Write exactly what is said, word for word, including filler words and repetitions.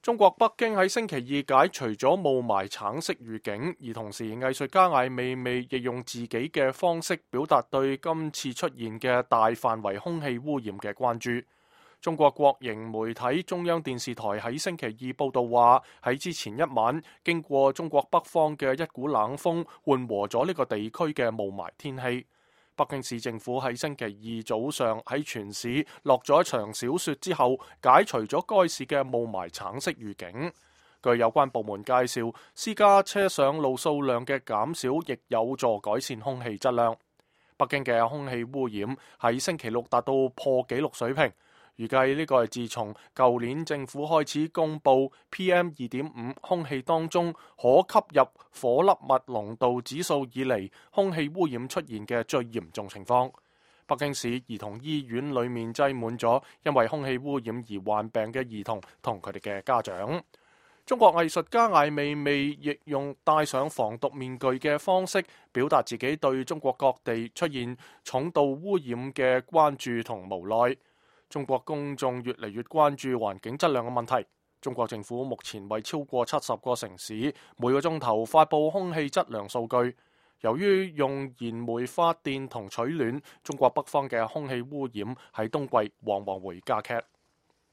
中國北京喺星期二解除咗霧霾橙色預警，而同時藝術家艾未未亦用自己嘅方式表達對今次出現嘅大範圍空氣污染嘅關注。中國國營媒體中央電視台喺星期二報道話，喺之前一晚經過中國北方嘅一股冷風緩和咗呢個地區嘅霧霾天氣。北京市政府喺星期二早上喺全市落咗一場小雪之後，解除咗該市嘅霧霾橙色預警。據有關部門介紹，私家車上路數量嘅減少亦有助改善空氣質量。北京嘅空氣污染喺星期六達到破紀錄水平。預計呢個係自從舊年政府開始公布 P M 二點五 空氣當中可吸入顆粒物濃度指數以嚟，空氣污染出現嘅最嚴重情況。北京市兒童醫院裡面擠滿咗因為空氣污染而患病嘅兒童同佢哋嘅家長。中國藝術家艾未未亦用戴上防毒面具嘅方式表達自己對中國各地出現重度污染嘅關注同無奈。中國公眾越嚟越關注環境質量嘅問題。中國政府目前為超過七十個城市每個鐘頭發佈空氣質量數據。由於用燃煤發電同取暖，中國北方嘅空氣污染喺冬季往往會加劇。